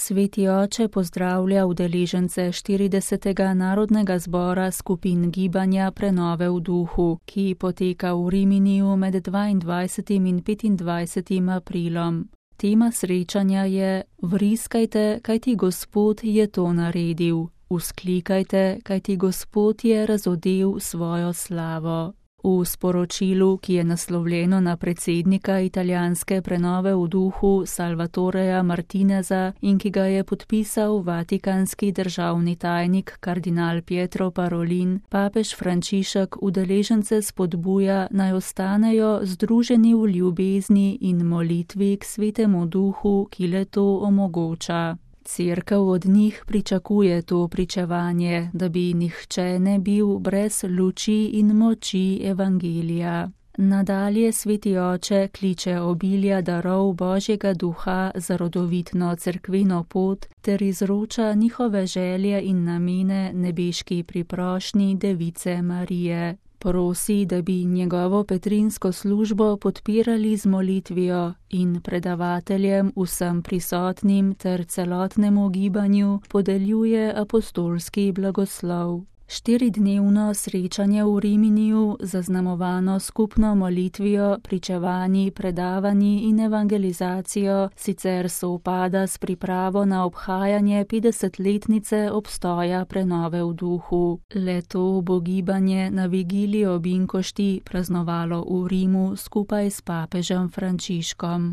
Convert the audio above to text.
Sveti oče pozdravlja udeležence 40. narodnega zbora skupin gibanja Prenove v duhu, ki poteka v Riminiju med 22. in 25. aprilom. Tema srečanja je: Vriskajte, kajti Gospod je to naredil. Vzklikajte, kajti Gospod je razodel svojo slavo. V sporočilu, ki je naslovljeno na predsednika italijanske Prenove v duhu Salvatoreja Martineza in ki ga je podpisal vatikanski državni tajnik kardinal Pietro Parolin, papež Frančišek udeležence spodbuja, naj ostanejo združeni v ljubezni in molitvi k Svetemu duhu, ki le to omogoča. Cerkev od njih pričakuje to pričevanje, da bi nihče ne bil brez luči in moči evangelija. Nadalje Sveti oče kliče obilja darov Božjega duha za rodovitno cerkveno pot ter izroča njihove želje in namene nebeški priprošnji Device Marije. Prosi, da bi njegovo petrinsko službo podpirali z molitvijo in predavateljem, vsem prisotnim ter celotnemu gibanju podeljuje apostolski blagoslov. 4-dnevno srečanje v Riminiju, zaznamovano skupno molitvijo, pričevanji, predavanji in evangelizacijo, sicer sovpada s pripravo na obhajanje 50-letnice obstoja Prenove v duhu. Leto bo gibanje na vigilijo Binkošti praznovalo v Rimu skupaj s papežem Frančiškom.